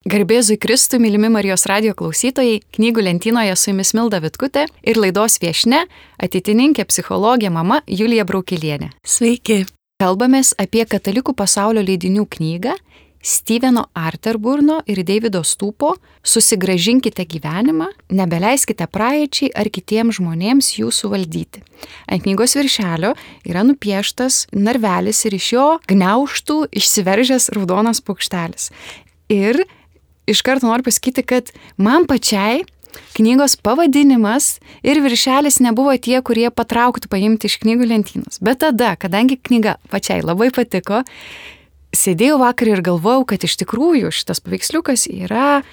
Garbėzui Kristui, mylimi Marijos radijo klausytojai, knygų lentynoje su jumis Milda Vitkutė ir laidos viešnia, ateitininkė psichologė mama Julija Braukelienė. Sveiki. Kalbamės apie katalikų pasaulio leidinių knygą Steveno Arterburno ir Davido Stūpo Susigrąžinkite gyvenimą, nebeleiskite praeičiai ar kitiems žmonėms jų suvaldyti. Ant knygos viršelio yra nupieštas narvelis ir iš jo gniaužtų išsiveržęs raudonas paukštelis. Ir iš karto noriu pasakyti, kad man pačiai knygos pavadinimas ir viršelis nebuvo tie, kurie patrauktų paimti iš knygų lentynos. Bet tada, kadangi knyga pačiai labai patiko, sėdėjau vakar ir galvojau, kad iš tikrųjų šitas paveiksliukas yra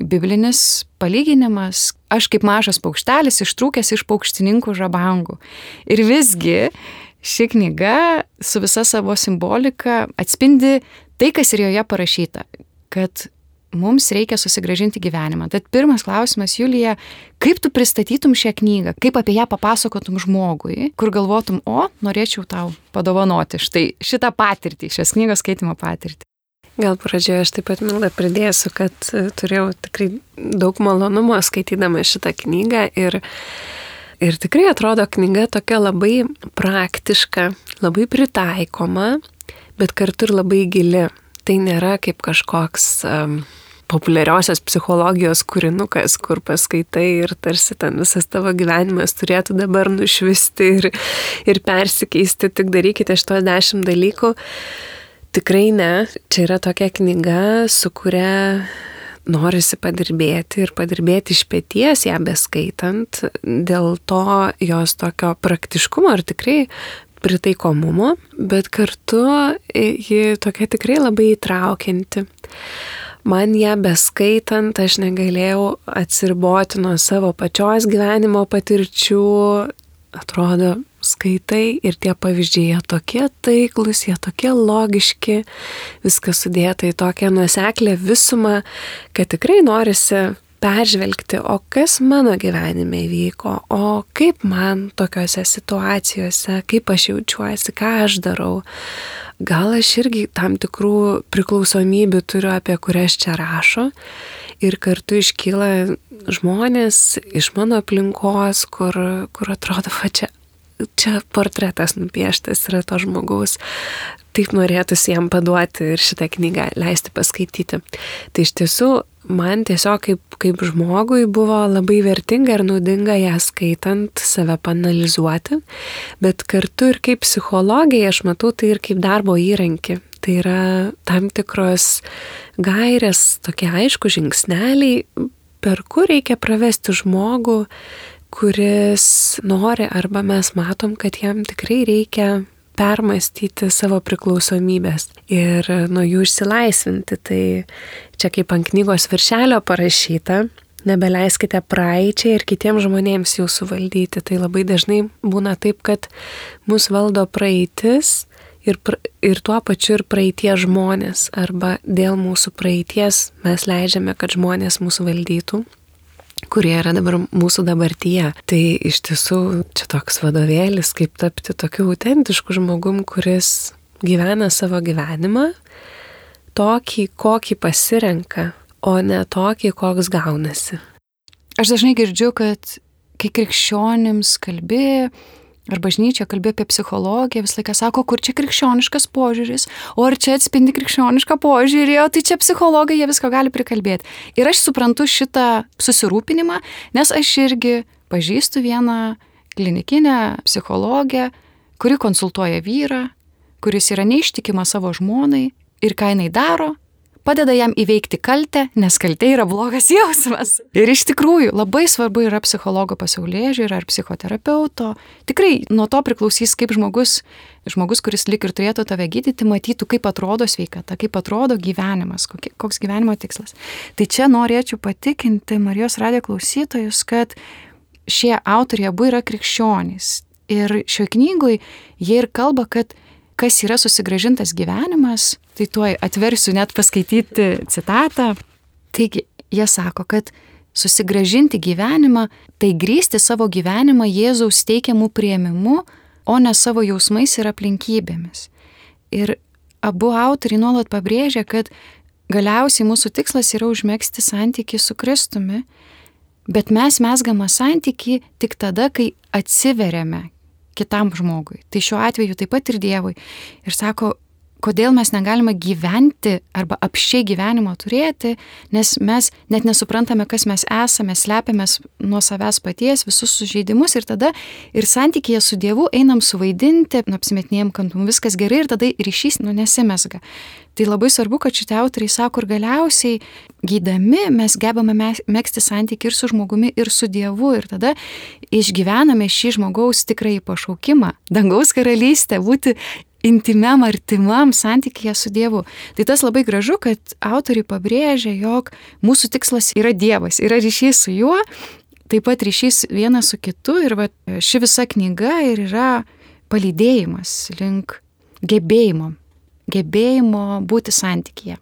biblinis palyginimas. Aš kaip mažas paukštelis ištrūkęs iš paukštininkų žabangų. Ir visgi ši knyga su visa savo simbolika atspindi tai, kas ir joje parašyta, kad mums reikia susigrąžinti gyvenimą. Tad pirmas klausimas, Julija, kaip tu pristatytum šią knygą, kaip apie ją papasakotum žmogui, kur galvotum, norėčiau tau padovanoti šitą patirtį, šios knygos skaitimo patirtį. Gal pradžioje aš taip pat, Milda, pridėsiu, kad turėjau tikrai daug malonumo skaitydama šitą knygą ir tikrai atrodo knyga tokia labai praktiška, labai pritaikoma, bet kartu ir labai gili. Tai nėra kaip kažkoks populiariosios psichologijos kūrinukas, kur paskaitai ir tarsi ten visas tavo gyvenimas turėtų dabar nušvisti ir persikeisti, tik darykite 10 dalykų. Tikrai ne, čia yra tokia knyga, su kuria norisi padirbėti ir padirbėti iš peties ją beskaitant, dėl to jos tokio praktiškumo ir tikrai pritaikomumo, bet kartu ji tokia tikrai labai įtraukianti. Man ją beskaitant aš negalėjau atsiriboti nuo savo pačios gyvenimo patirčių. Atrodo, skaitai ir tie pavyzdžiai, jie tokie taiklus, jie tokie logiški, viskas sudėta į tokią nuoseklę visumą, kad tikrai norisi peržvelgti, o kas mano gyvenime vyko, o kaip man tokiose situacijose, kaip aš jaučiuosi, ką aš darau. Gal aš irgi tam tikrų priklausomybių turiu, apie kurias čia rašo, ir kartu iškyla žmonės iš mano aplinkos, kur atrodo, čia portretas nupieštas yra to žmogaus. Taip norėtųsi jam paduoti ir šitą knygą leisti paskaityti. Tai iš tiesų man tiesiog kaip žmogui buvo labai vertinga ir naudinga ją skaitant, save paanalizuoti, bet kartu ir kaip psichologija aš matau tai ir kaip darbo įrankį. Tai yra tam tikros gairės, tokie aišku žingsneliai, per kur reikia pravesti žmogų, kuris nori arba mes matom, kad jam tikrai reikia permastyti savo priklausomybės ir nuo jų išsilaisvinti. Tai čia kaip ant knygos viršelio parašyta, nebeleiskite praeičiai ir kitiems žmonėms jų suvaldyti. Tai labai dažnai būna taip, kad mus valdo praeitis ir tuo pačiu ir praeities žmonės, arba dėl mūsų praeities mes leidžiame, kad žmonės mūsų valdytų, kurie yra dabar mūsų dabartyje. Tai iš tiesų čia toks vadovėlis, kaip tapti tokiu autentišku žmogum, kuris gyvena savo gyvenimą, tokį, kokį pasirenka, o ne tokį, koks gaunasi. Aš dažnai girdžiu, kad kai krikščionims kalbi, ar bažnyčia kalbė apie psichologiją, visą laiką sako, kur čia krikščioniškas požiūris, o ar čia atspindi krikščionišką požiūrį, o tai čia psichologai, jie visko gali prikalbėti. Ir aš suprantu šitą susirūpinimą, nes aš irgi pažįstu vieną klinikinę psichologę, kuri konsultuoja vyrą, kuris yra neištikima savo žmonai ir ką jinai daro, padeda jam įveikti kaltę, nes kaltė yra blogas jausmas. Ir iš tikrųjų labai svarbu yra psichologo pasaulėžiūra ar psichoterapeuto. Tikrai nuo to priklausys, kaip žmogus, kuris lyg ir turėtų tave gydyti, matytų, kaip atrodo sveikata, kaip atrodo gyvenimas, koks gyvenimo tikslas. Tai čia norėčiau patikinti Marijos radijo klausytojus, kad šie autoriai abu yra krikščionys. Ir šioje knygoje jie ir kalba, kad kas yra susigrąžintas gyvenimas, tai tuoj atversiu net paskaityti citatą. Taigi, jie sako, kad susigrąžinti gyvenimą, tai grįsti savo gyvenimą Jėzaus teikiamų priėmimu, o ne savo jausmais ir aplinkybėmis. Ir abu autoriai nuolat pabrėžia, kad galiausiai mūsų tikslas yra užmegzti santykį su Kristumi, bet mes mezgame santykį tik tada, kai atsiveriame kitam žmogui. Tai šiuo atveju taip pat ir Dievui. Ir sako, kodėl mes negalime gyventi arba apsčiai gyvenimo turėti, nes mes net nesuprantame, kas mes esame, slepiamės nuo savęs paties visus sužeidimus ir tada ir santykėje su Dievu einam suvaidinti, apsimetinėjom, kad viskas gerai ir tada ryšys nesimezga. Tai labai svarbu, kad šitie autoriai sako, ir galiausiai gydami mes gebame megzti santykį ir su žmogumi, ir su Dievu ir tada išgyvename šį žmogaus tikrąjį pašaukimą, dangaus karalystę, būti intimiam, artimam santykyje su Dievu. Tai tas labai gražu, kad autoriai pabrėžia, jog mūsų tikslas yra Dievas, yra ryšys su juo, taip pat ryšys vienas su kitu ir ši visa knyga ir yra palydėjimas link gebėjimo būti santykyje.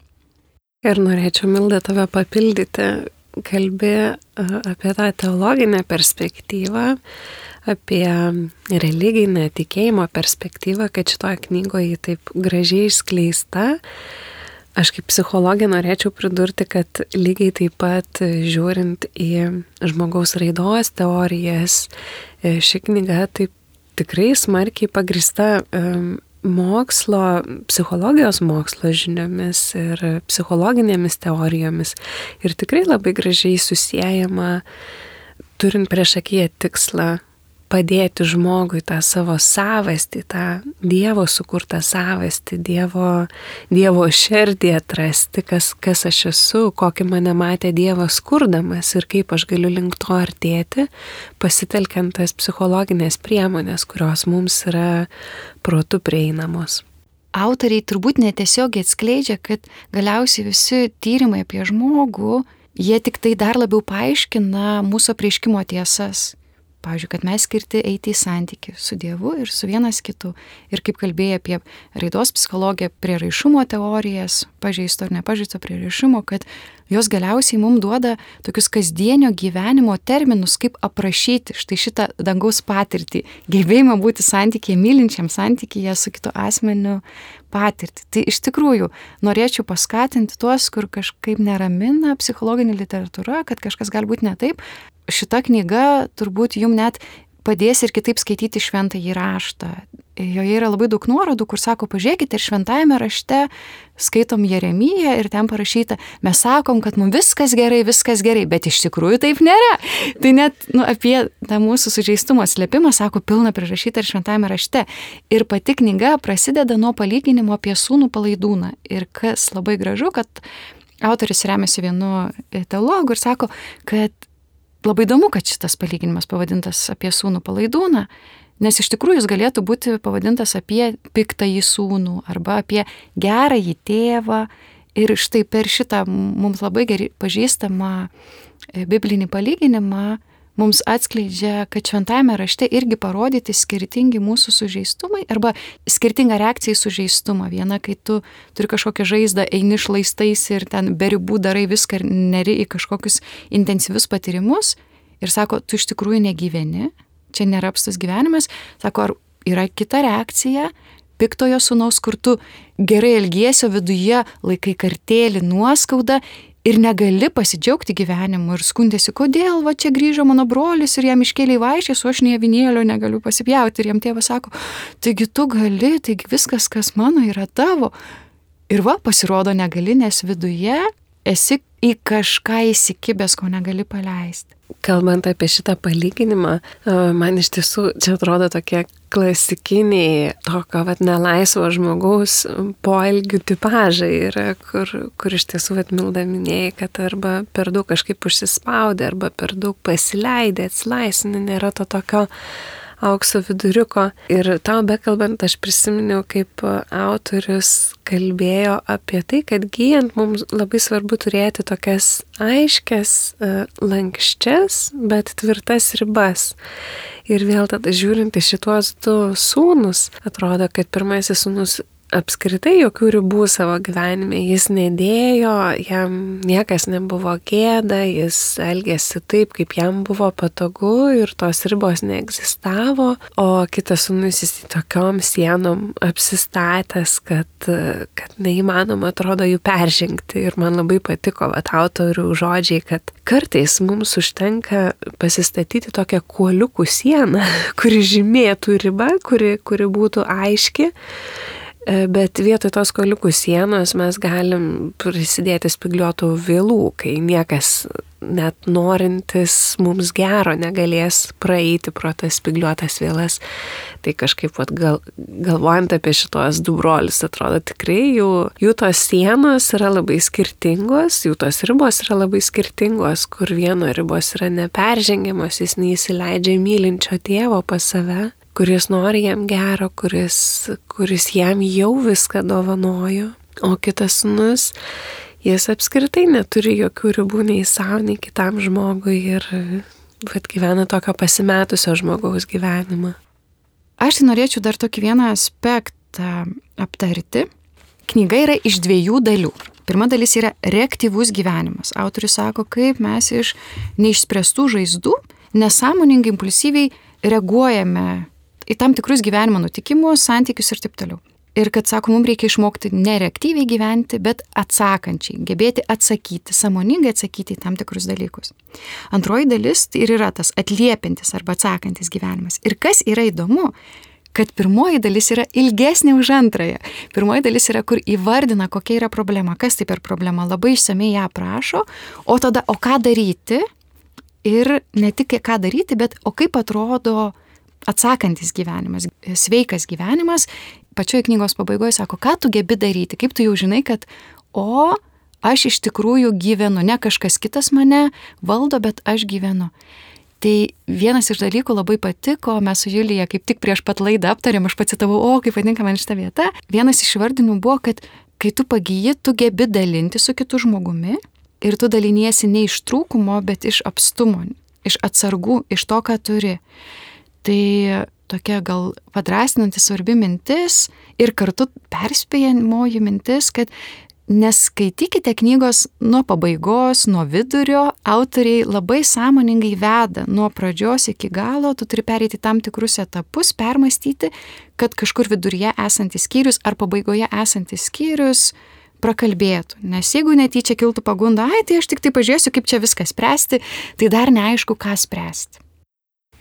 Ir norėčiau, Milda, tave papildyti, kalbi apie tą teologinę perspektyvą, apie religinę tikėjimo perspektyvą, kad šitoje knygoje taip gražiai išskleista. Aš kaip psichologė norėčiau pridurti, kad lygiai taip pat žiūrint į žmogaus raidos teorijas, ši knyga taip tikrai smarkiai pagrįsta mokslo, psichologijos mokslo žiniomis ir psichologinėmis teorijomis. Ir tikrai labai gražiai susiejama, turint priešakyje tikslą padėti žmogui tą savo savastį, tą Dievo sukurtą savastį, Dievo širdį atrasti, kas aš esu, kokį mane matė Dievas kurdamas ir kaip aš galiu link to artėti, pasitelkiant tas psichologinės priemonės, kurios mums yra protu prieinamos. Autoriai turbūt netiesiogiai atskleidžia, kad galiausiai visi tyrimai apie žmogų, jie tik tai dar labiau paaiškina mūsų apreiškimo tiesas. Pavyzdžiui, kad mes skirti eiti į santykį su Dievu ir su vienas kitu. Ir kaip kalbėjai apie raidos psichologiją, prieraišumo teorijas, pažeisto ar nepažeisto prieraišumo, kad jos galiausiai mums duoda tokius kasdienio gyvenimo terminus, kaip aprašyti štai šitą dangaus patirtį, gebėjimą būti santykyje, mylinčiam santykyje su kitu asmeniu patirtį. Tai iš tikrųjų norėčiau paskatinti tuos, kur kažkaip neramina psichologinė literatūra, kad kažkas gali būti ne taip. Šita knyga turbūt jums net padės ir kitaip skaityti šventąjį raštą. Joje yra labai daug nuorodų, kur sako, pažiūrėkite, ir šventajame rašte skaitom Jeremiją ir ten parašyta, mes sakom, kad mums viskas gerai, bet iš tikrųjų taip nėra. Tai net apie tą mūsų sužeistumo slėpimą, sako, pilna prirašyta ir šventajame rašte. Ir pati knyga prasideda nuo palyginimo apie sūnų palaidūną. Ir kas labai gražu, kad autoris remiasi vienu teologu ir sako, kad labai įdomu, kad šitas palyginimas pavadintas apie sūnų palaidūną, nes iš tikrųjų jis galėtų būti pavadintas apie piktąjį sūnų arba apie gerąjį tėvą. Ir štai per šitą mums labai gerai pažįstamą biblinį palyginimą mums atskleidžia, kad šventajame rašte irgi parodyti skirtingi mūsų sužeistumai arba skirtinga reakcija į sužeistumą. Viena, kai tu turi kažkokią žaizdą, eini šlaistais ir ten be ribų darai viską ir neri į kažkokius intensyvius patyrimus ir sako, tu iš tikrųjų negyveni, čia nėra apstas gyvenimas. Sako, ar yra kita reakcija piktojo sūnaus, kur tu gerai elgiesio viduje laikai kartėlį, nuoskaudą ir negali pasidžiaugti gyvenimu ir skundėsi, kodėl va čia grįžo mano brolis ir jam iškėlė vaišės, o aš nei avinėlio negaliu pasipjauti. Ir jam tėvas sako, taigi tu gali, taigi viskas, kas mano, yra tavo. Ir va, pasirodo negali, nes viduje esi į kažką įsikibęs, ko negali paleisti. Kalbant apie šitą palyginimą, man iš tiesų čia atrodo tokie klasikiniai tokio nelaisvo žmogaus poelgių tipažai yra, kur iš tiesų Milda minėjai, kad arba per daug kažkaip užsispaudė, arba per daug pasileidė, atsilaisvinė, nėra to tokio aukso viduriuko. Ir tau bekalbant, aš prisiminiau, kaip autorius kalbėjo apie tai, kad gyjant mums labai svarbu turėti tokias aiškias, lankščias, bet tvirtas ribas. Ir vėl tada žiūrint į šituos du sūnus, atrodo, kad pirmasis sūnus apskritai jokių ribų savo gyvenime. Jis nedėjo, jam niekas nebuvo gėda, jis elgėsi taip, kaip jam buvo patogu ir tos ribos neegzistavo, o kitas sūnus jis tokiom sienom apsistatęs, kad neįmanoma atrodo jų peržengti. Ir man labai patiko autorių žodžiai, kad kartais mums užtenka pasistatyti tokią kuoliukų sieną, kuri žymėtų ribą, kuri būtų aiški. Bet vietoj tos kuoliukų sienos mes galim prisidėti spygliuotų vielų, kai niekas net norintis mums gero negalės praeiti pro tas spygliuotas vielas. Tai kažkaip galvojant apie šitos du brolius, atrodo tikrai jų tos sienos yra labai skirtingos, jų tos ribos yra labai skirtingos, kur vieno ribos yra neperžengiamos, jis neįsileidžia mylinčio tėvo pas save, kuris nori jam gero, kuris jam jau viską dovanojo, o kitas sūnus, jis apskritai neturi jokių ribų nei savo, nei kitam žmogui ir gyvena tokio pasimetusio žmogaus gyvenimą. Aš tai norėčiau dar tokį vieną aspektą aptarti. Knyga yra iš 2 dalių. Pirma dalis yra reaktyvus gyvenimas. Autorius sako, kaip mes iš neišspręstų žaizdų nesąmoningai, impulsyviai reaguojame į tam tikrus gyvenimo nutikimus, santykius ir taip toliau. Ir kad, sako, mums reikia išmokti nereaktyviai gyventi, bet atsakančiai, gebėti atsakyti, sąmoningai atsakyti į tam tikrus dalykus. Antroji dalis ir yra tas atliepiantis arba atsakantis gyvenimas. Ir kas yra įdomu, kad pirmoji dalis yra ilgesnė už antrąją. Pirmoji dalis yra, kur įvardina, kokia yra problema, kas tai per problema, labai išsamei ją aprašo, o tada, o ką daryti ir ne tik ką daryti, bet o kaip atrodo atsakantis gyvenimas, sveikas gyvenimas. Pačioje knygos pabaigoje sako, ką tu gebi daryti, kaip tu jau žinai, kad aš iš tikrųjų gyvenu, ne kažkas kitas mane valdo, bet aš gyvenu. Tai vienas iš dalykų labai patiko, mes su Julija kaip tik prieš pat laidą aptarėm, aš pacitavau, kaip patinka man šita vieta. Vienas iš vardinimų buvo, kad kai tu pagyji, tu gebi dalinti su kitu žmogumi ir tu daliniesi ne iš trūkumo, bet iš apstumo, iš atsargų, iš to, ką turi. Tai tokia gal padrasinanti svarbi mintis ir kartu perspėjamoji mintis, kad neskaitykite knygos nuo pabaigos, nuo vidurio, autoriai labai sąmoningai veda nuo pradžios iki galo, tu turi pereiti tam tikrus etapus, permastyti, kad kažkur viduryje esantis skyrius ar pabaigoje esantis skyrius prakalbėtų. Nes jeigu netyčia kiltų pagunda, tai aš tik tai pažiūrėsiu, kaip čia viską spręsti, tai dar neaišku, ką spręsti.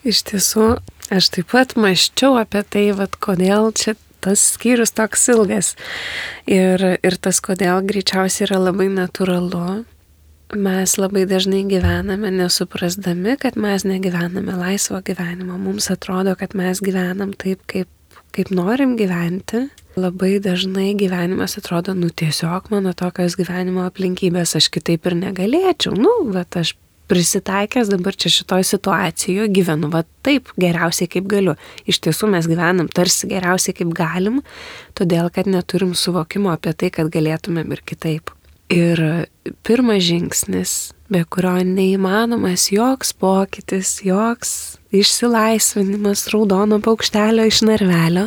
Iš tiesų, aš taip pat mąsčiau apie tai, kodėl čia tas skyrius toks ilgas. Ir tas kodėl greičiausiai yra labai natūralu. Mes labai dažnai gyvename nesuprasdami, kad mes negyvename laisvo gyvenimo. Mums atrodo, kad mes gyvenam taip, kaip norim gyventi. Labai dažnai gyvenimas atrodo, tiesiog mano tokios gyvenimo aplinkybės, aš kitaip ir negalėčiau. Aš prisitaikęs dabar čia šitoj situacijoje gyvenu taip geriausiai kaip galiu. Iš tiesų mes gyvenam tarsi geriausiai kaip galim, todėl kad neturim suvokimo apie tai, kad galėtumėm ir kitaip. Ir pirmas žingsnis, be kurio neįmanomas joks pokytis, joks išsilaisvinimas raudono paukštelio iš narvelio,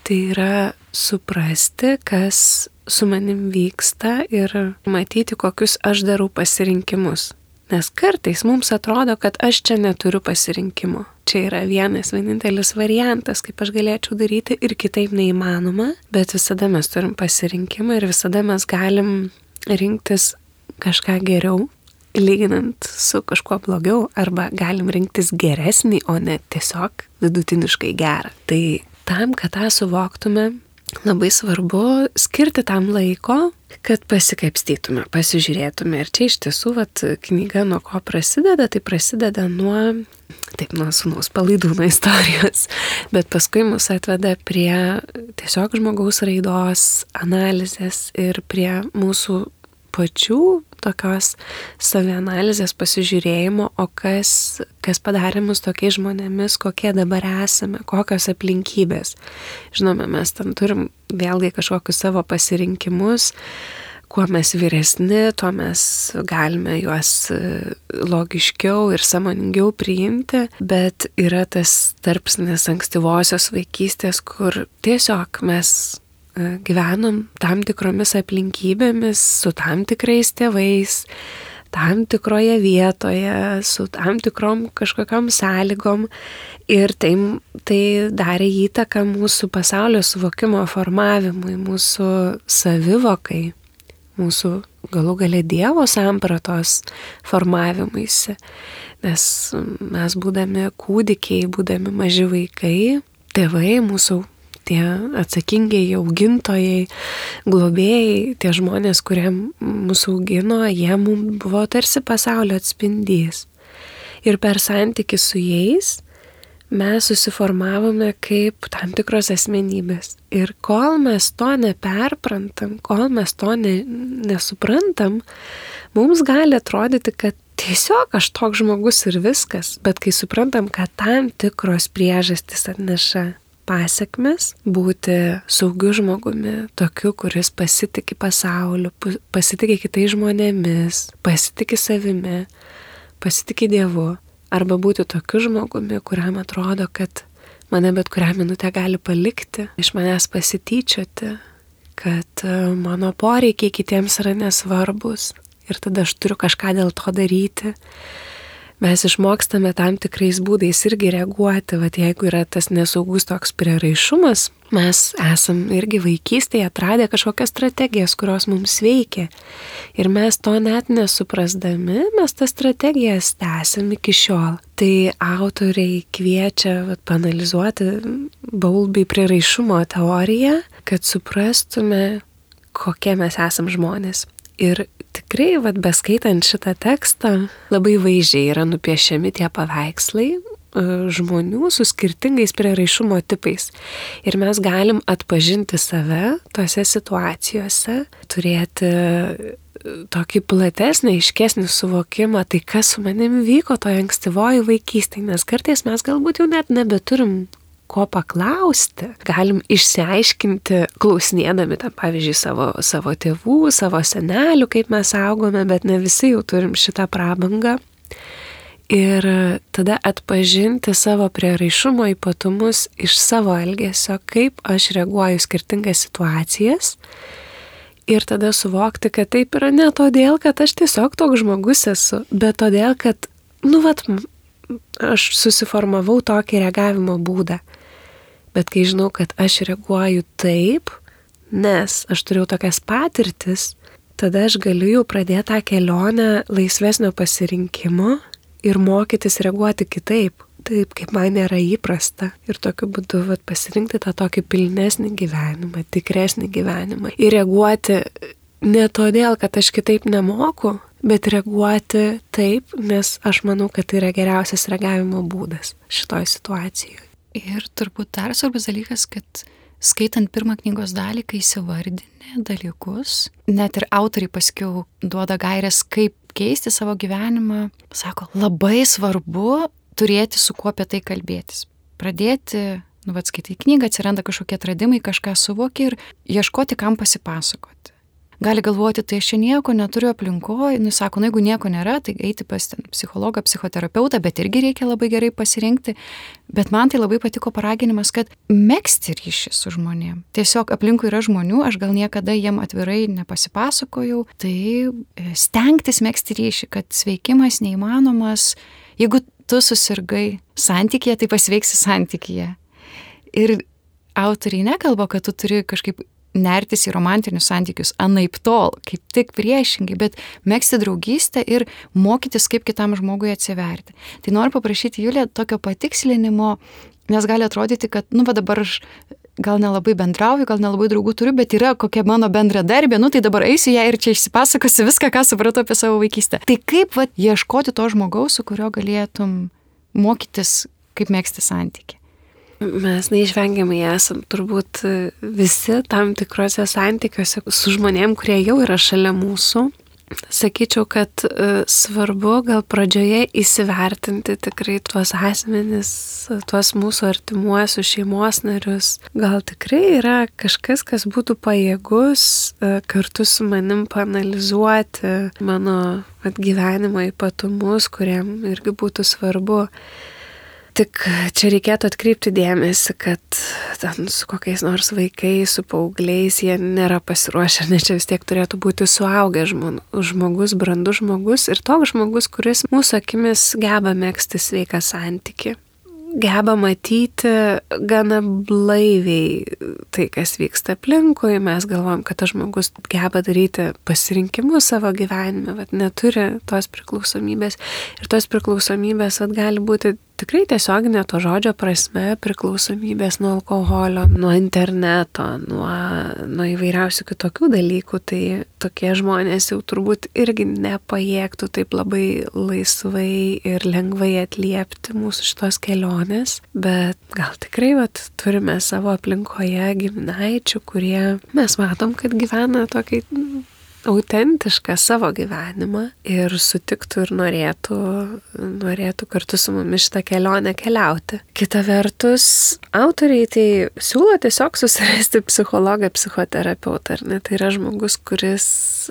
tai yra suprasti, kas su manim vyksta ir matyti, kokius aš darau pasirinkimus. Nes kartais mums atrodo, kad aš čia neturiu pasirinkimo. Čia yra vienintelis variantas, kaip aš galėčiau daryti ir kitaip neįmanoma, bet visada mes turim pasirinkimą ir visada mes galim rinktis kažką geriau, lyginant su kažkuo blogiau, arba galim rinktis geresnį, o ne tiesiog vidutiniškai gerą. Tai tam, kad tą suvoktume, labai svarbu skirti tam laiko, kad pasikapstytume, pasižiūrėtume. Ir čia iš tiesų knyga nuo ko prasideda, tai prasideda nuo sūnaus palaidūno istorijos, bet paskui mus atveda prie tiesiog žmogaus raidos analizės ir prie mūsų pačių tokios savianalizės pasižiūrėjimo, o kas padarė mus tokiais žmonėmis, kokie dabar esame, kokios aplinkybės. Žinoma, mes tam turim vėlgi kažkokius savo pasirinkimus, kuo mes vyresni, tuo mes galime juos logiškiau ir sąmoningiau priimti, bet yra tas tarpsnis ankstyvosios vaikystės, kur tiesiog mes gyvenom tam tikromis aplinkybėmis, su tam tikrais tėvais, tam tikroje vietoje, su tam tikrom kažkokiam sąlygom ir tai darė įtaką mūsų pasaulio suvokimo formavimui, mūsų savivokai, mūsų galų gale Dievo sampratos formavimuisi. Nes mes būdami kūdikiai, būdami maži vaikai, tėvai, mūsų tie atsakingieji augintojai, globėjai, tie žmonės, kurie mūsų augino, jie mums buvo tarsi pasaulio atspindys. Ir per santykį su jais mes susiformavome kaip tam tikros asmenybės. Ir kol mes to neperprantam, kol mes to nesuprantam, mums gali atrodyti, kad tiesiog aš toks žmogus ir viskas. Bet kai suprantam, kad tam tikros priežastys atneša pasekmes, būti saugiu žmogumi, tokiu, kuris pasitiki pasauliu, pasitiki kitais žmonėmis, pasitiki savimi, pasitiki Dievu, arba būti tokiu žmogumi, kuriam atrodo, kad mane bet kurią minutę gali palikti, iš manęs pasityčioti, kad mano poreikiai kitiems yra nesvarbus ir tada aš turiu kažką dėl to daryti. Mes išmokstame tam tikrais būdais irgi reaguoti, vat jeigu yra tas nesaugus toks prieraišumas, mes esam irgi vaikystėje atradę kažkokias strategijas, kurios mums veikia. Ir mes to net nesuprasdami, mes tas strategijas tęsiam iki šiol. Tai autoriai kviečia paanalizuoti Bowlby prieraišumo teoriją, kad suprastume, kokie mes esam žmonės. Ir tikrai, beskaitant šitą tekstą, labai vaizdžiai yra nupiešiami tie paveikslai žmonių su skirtingais prieraišumo tipais. Ir mes galim atpažinti save tose situacijose, turėti tokį platesnį, aiškesnį suvokimą, tai kas su manim vyko toje ankstyvoje vaikystėje, nes kartais mes galbūt jau net nebeturim ko paklausti, galim išsiaiškinti klausinėdami, pavyzdžiui, savo tėvų, savo senelių, kaip mes augome, bet ne visi jau turim šitą prabangą. Ir tada atpažinti savo prieraišumo ypatumus iš savo elgesio, kaip aš reaguoju skirtingas situacijas. Ir tada suvokti, kad taip yra ne todėl, kad aš tiesiog toks žmogus esu, bet todėl, kad, aš susiformavau tokį reagavimo būdą. Bet kai žinau, kad aš reaguoju taip, nes aš turėjau tokias patirtis, tada aš galiu jau pradėti tą kelionę laisvesnio pasirinkimo ir mokytis reaguoti kitaip, taip kaip man yra įprasta. Ir tokiu būdu pasirinkti tą tokį pilnesnį gyvenimą, tikresnį gyvenimą. Ir reaguoti ne todėl, kad aš kitaip nemoku, bet reaguoti taip, nes aš manau, kad tai yra geriausias reagavimo būdas šitoj situacijoje. Ir turbūt dar svarbus dalykas, kad skaitant pirmą knygos dalį, kai įsivardini dalykus, net ir autoriai paskiau duoda gaires, kaip keisti savo gyvenimą, sako, labai svarbu turėti su kuo apie tai kalbėtis. Pradėti, skaitai knygą, atsiranda kažkokie atradimai, kažką suvoki ir ieškoti, kam pasipasakoti. Gali galvoti, tai aš čia nieko neturiu aplinkoje, sako, jeigu nieko nėra, tai eiti pas psichologą, psichoterapeutą, bet irgi reikia labai gerai pasirinkti. Bet man tai labai patiko paraginimas, kad megzti ryšį su žmonėm. Tiesiog aplinkui yra žmonių, aš gal niekada jiem atvirai nepasipasakojau, tai stengtis megzti ryšį, kad sveikimas neįmanomas, jeigu tu susirgai santykyje, tai pasveiksi santykyje. Ir autoriai nekalba, kad tu turi kažkaip nertis į romantinius santykius anaip tol, kaip tik priešingai, bet megzti draugystę ir mokytis, kaip kitam žmogui atsiverti. Tai noriu paprašyti Julę tokio patikslinimo, nes gali atrodyti, kad, dabar aš gal nelabai bendrauju, gal nelabai draugų turiu, bet yra kokia mano bendradarbė, tai dabar eisiu ją ir čia išsipasakosiu viską, ką supratau apie savo vaikystę. Tai kaip ieškoti to žmogaus, su kurio galėtum mokytis, kaip megzti santykį? Mes neišvengiamai esam turbūt visi tam tikrose santykiuose su žmonėm, kurie jau yra šalia mūsų. Sakyčiau, kad svarbu gal pradžioje įsivertinti tikrai tuos asmenis, tuos mūsų artimuosius šeimos narius. Gal tikrai yra kažkas, kas būtų pajėgus kartu su manim paanalizuoti mano gyvenimo ypatumus, kuriam irgi būtų svarbu. Tik čia reikėtų atkreipti dėmesį, kad ten su kokiais nors vaikais, su paaugliais jie nėra pasiruošę, nes čia vis tiek turėtų būti suaugęs žmogus, brandus žmogus ir toks žmogus, kuris mūsų akimis geba megzti sveiką santykį. Geba matyti gana blaiviai tai, kas vyksta aplinkui. Mes galvojam, kad tas žmogus geba daryti pasirinkimus savo gyvenime, bet neturi tos priklausomybės. Ir tos priklausomybės gali būti tikrai tiesioginė to žodžio prasme priklausomybės nuo alkoholio, nuo interneto, nuo įvairiausių kitokių dalykų. Tai tokie žmonės jau turbūt irgi nepajėgtų taip labai laisvai ir lengvai atliepti mūsų šitos kelionės. Bet gal tikrai turime savo aplinkoje giminaičių, kurie mes matom, kad gyvena tokį autentišką savo gyvenimą ir sutiktų ir norėtų kartu su mumis šitą kelionę keliauti. Kita vertus, autoriai tai siūlo tiesiog susirasti psichologą, psichoterapeutą, ar ne? Tai yra žmogus, kuris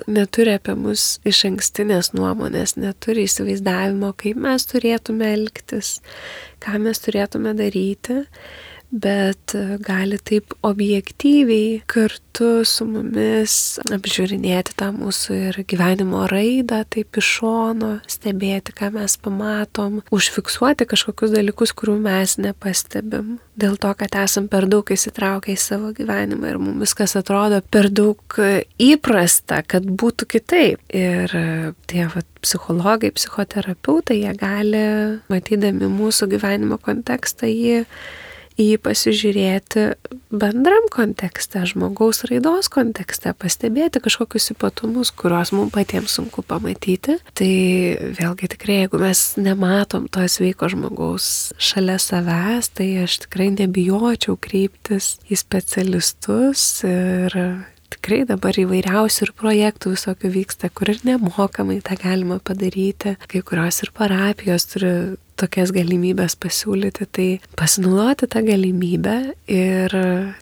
neturi apie mus išankstinės nuomonės, neturi įsivaizdavimo, kaip mes turėtume elgtis, ką mes turėtume daryti, bet gali taip objektyviai kartu su mumis apžiūrinėti tą mūsų ir gyvenimo raidą, taip iš šono, stebėti, ką mes pamatom, užfiksuoti kažkokius dalykus, kurių mes nepastebim. Dėl to, kad esam per daug įsitraukę į savo gyvenimą ir mums viskas atrodo per daug įprasta, kad būtų kitaip. Ir tie psichologai, psichoterapeutai, jie gali, matydami mūsų gyvenimo kontekstą, jį pasižiūrėti bendram kontekste, žmogaus raidos kontekste, pastebėti kažkokius ypatumus, kuriuos mums patiems sunku pamatyti. Tai vėlgi tikrai, jeigu mes nematom to sveiko žmogaus šalia savęs, tai aš tikrai nebijočiau kreiptis į specialistus ir tikrai dabar įvairiausių ir projektų visokių vyksta, kur ir nemokamai tą galima padaryti. Kai kurios ir parapijos turi tokias galimybės pasiūlyti, tai pasinaudoti tą galimybę ir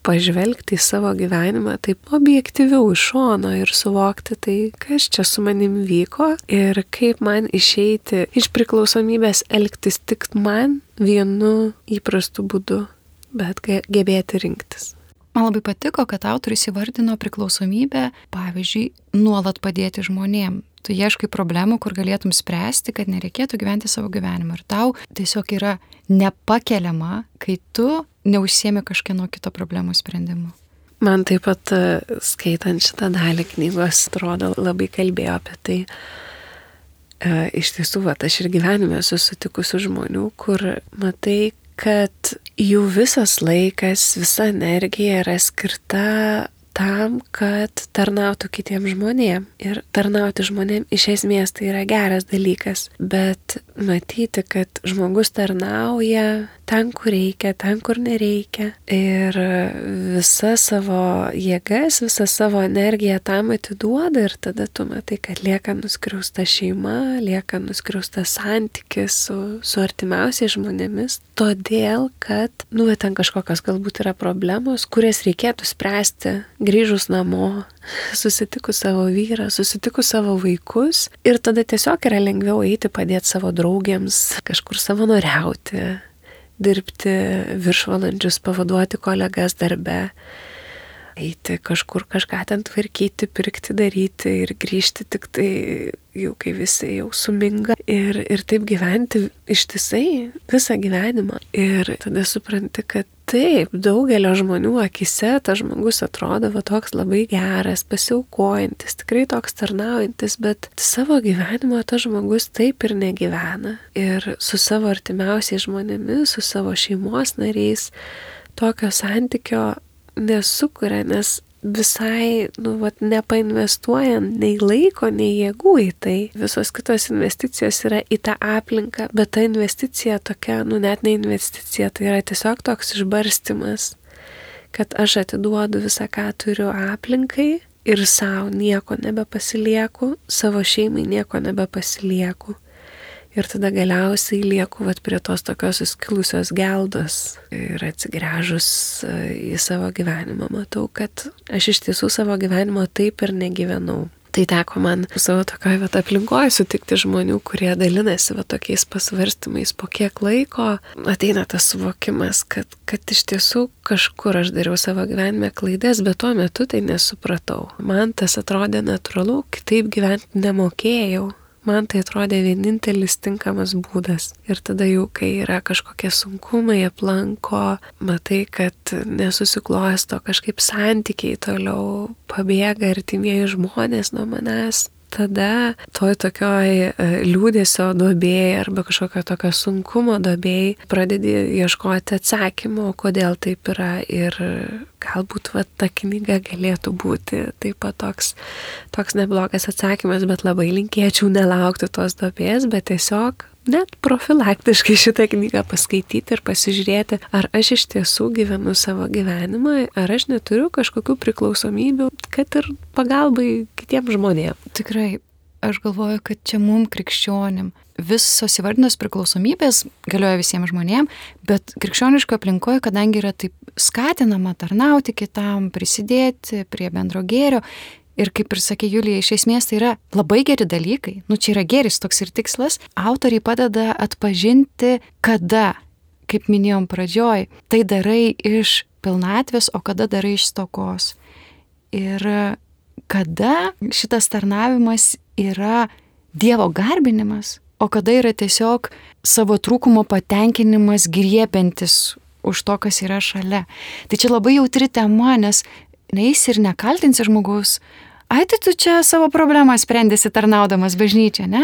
pažvelgti į savo gyvenimą taip objektyviau iš šono ir suvokti tai, kas čia su manim vyko ir kaip man išeiti iš priklausomybės elgtis tik man vienu įprastu būdu, bet gebėti rinktis. Man labai patiko, kad autorius įvardino priklausomybę, pavyzdžiui, nuolat padėti žmonėm. Tu ieškai problemų, kur galėtum spręsti, kad nereikėtų gyventi savo gyvenimą. Ir tau tiesiog yra nepakeliama, kai tu neužsiemi kažkieno kito problemų sprendimu. Man taip pat skaitant šitą dalį knygos, atrodo, labai kalbėjo apie tai. Iš tiesų, aš ir gyvenime susitikusių žmonių, kur matai, kad jų visas laikas, visa energija yra skirta tam, kad tarnautų kitiem žmonėm. Ir tarnauti žmonėm iš esmės tai yra geras dalykas, bet matyti, kad žmogus tarnauja ten, kur reikia, ten, kur nereikia. Ir visą savo jėgas, visą savo energiją tam atiduoda ir tada tu matai, kad lieka nuskriausta šeima, lieka nuskriaustas santykis su artimiausiais žmonėmis, todėl, kad, ten kažkokios galbūt yra problemos, kurias reikėtų spręsti grįžus namo, susitikus savo vyrą, susitikus savo vaikus ir tada tiesiog yra lengviau eiti padėti savo draugėms, kažkur savanoriauti, dirbti viršvalandžius, pavaduoti kolegas darbe, eiti kažkur kažką ten tvarkyti, pirkti, daryti ir grįžti tik tai jau kai visi jau suminga ir taip gyventi ištisai visą gyvenimą. Ir tada supranti, kad taip, daugelio žmonių akise tas žmogus atrodo toks labai geras, pasiaukojantis, tikrai toks tarnaujantis, bet savo gyvenimo tas žmogus taip ir negyvena. Ir su savo artimiausiais žmonėmis, su savo šeimos nariais tokio santykio nesukuria, nes visai, nepainvestuojant nei laiko, nei jėgų į tai. Visos kitos investicijos yra į tą aplinką, bet ta investicija tokia, net ne investicija, tai yra tiesiog toks išbarstymas, kad aš atiduodu visą, ką turiu aplinkai ir savo nieko nebepasilieku, savo šeimai nieko nebepasilieku. Ir tada galiausiai lieku prie tos tokios suskilusios geldos ir atsigręžus į savo gyvenimą matau, kad aš iš tiesų savo gyvenimo taip ir negyvenau. Tai teko man savo tokioje aplinkoje sutikti žmonių, kurie dalinasi tokiais pasvarstymais, po kiek laiko ateina tas suvokimas, kad iš tiesų kažkur aš dariau savo gyvenime klaidas, bet tuo metu tai nesupratau. Man tas atrodė natūralu, kitaip gyventi nemokėjau. Man tai atrodė vienintelis tinkamas būdas. Ir tada jau, kai yra kažkokie sunkumai aplanko, matai, kad nesusiklojas to kažkaip santykiai toliau, pabėga artimieji žmonės nuo manęs. Tada toj tokioj liūdesio duobėj arba kažkokio tokio sunkumo duobėj pradedi ieškoti atsakymų, kodėl taip yra ir galbūt ta knyga galėtų būti taip pat toks neblogas atsakymas, bet labai linkėčiau nelaukti tos duobės, bet tiesiog net profilaktiškai šitą knygą paskaityti ir pasižiūrėti, ar aš iš tiesų gyvenu savo gyvenimą, ar aš neturiu kažkokių priklausomybių, kad ir pagalbai kitiems žmonėms. Tikrai, aš galvoju, kad čia mum krikščionim visos įvardinos priklausomybės galioja visiems žmonėms, bet krikščioniško aplinkoje, kadangi yra taip skatinama tarnauti kitam, prisidėti prie bendro gėrio, ir kaip ir sakė Julija, iš esmės tai yra labai geri dalykai, čia yra gėris toks ir tikslas, autoriai padeda atpažinti, kada, kaip minėjom pradžioj, tai darai iš pilnatvės, o kada darai iš stokos. Ir kada šitas tarnavimas yra Dievo garbinimas, o kada yra tiesiog savo trūkumo patenkinimas griebiantis už to, kas yra šalia. Tai čia labai jautri tema, nes neįsi ir nekaltinsi žmogaus, ai tai tu čia savo problemą sprendėsi tarnaudamas bažnyčią, ne?